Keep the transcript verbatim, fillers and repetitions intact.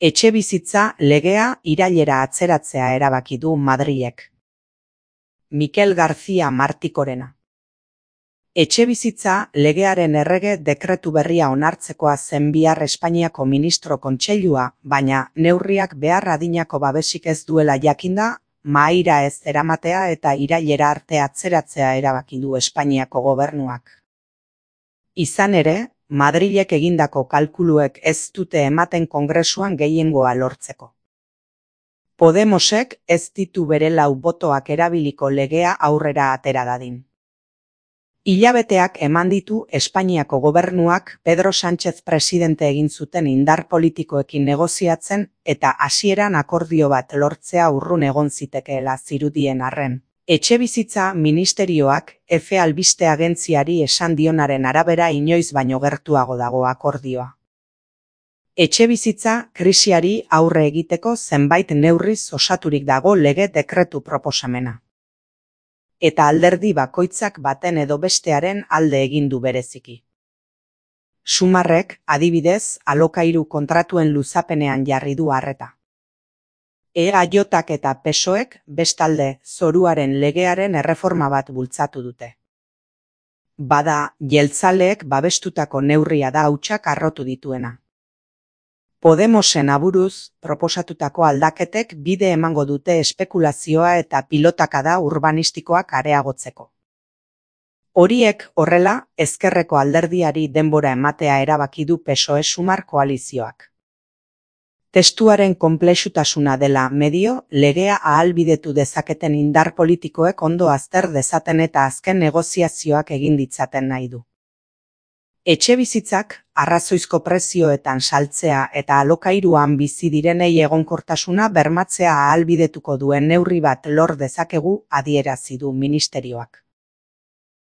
Etxebizitza legea irailera atzeratzea erabaki du Madrilek. Mikel García Martikorena. Etxebizitza legearen errege dekretu berria onartzekoa zen bihar Espainiako Ministro Kontseilua, baina neurriak behar adinako babesik ez duela jakinda, mahaira ez eramatea eta irailera arte atzeratzea erabaki du Espainiako gobernuak. Izan ere, Madrilek egindako kalkuluek ez dute ematen Kongresuan gehiengoa lortzeko. Podemosek ez ditu bere lau botoak erabiliko legea aurrera atera dadin. Hilabeteak eman ditu Espainiako gobernuak Pedro Sánchez presidente egin zuten indar politikoekin negoziatzen eta hasieran akordio bat lortzea urrun egon zitekeela zirudien arren. Etxebizitza ministerioak Efe albiste agentziari esan dionaren arabera inoiz baino gertuago dago akordioa. Etxebizitza krisiari aurre egiteko zenbait neurriz osaturik dago lege dekretu proposamena. Eta alderdi bakoitzak baten edo bestearen alde egin du bereziki. Sumarrek, adibidez, alokairu kontratuen luzapenean jarri du arreta. E A J-ak eta P S O E-ek bestalde zoruaren legearen erreforma bat bultzatu dute. Bada, jeltzaleek babestutako neurria da hautsak harrotu dituena. Podemosen aburuz, proposatutako aldaketek bide emango dute espekulazioa eta pilotakada urbanistikoak areagotzeko. Horiek horrela, ezkerreko alderdiari denbora ematea erabaki du P S O E-Sumar koalizioak. Testuaren konplexutasuna dela medio, legea ahalbidetu dezaketen indar politikoek ondo azter dezaten eta azken negoziazioak egin ditzaten nahi du. Etxebizitzak, arrazoizko prezioetan saltzea eta alokairuan bizi direnei egonkortasuna bermatzea ahalbidetuko duen neurri bat lor dezakegu adierazi du ministerioak.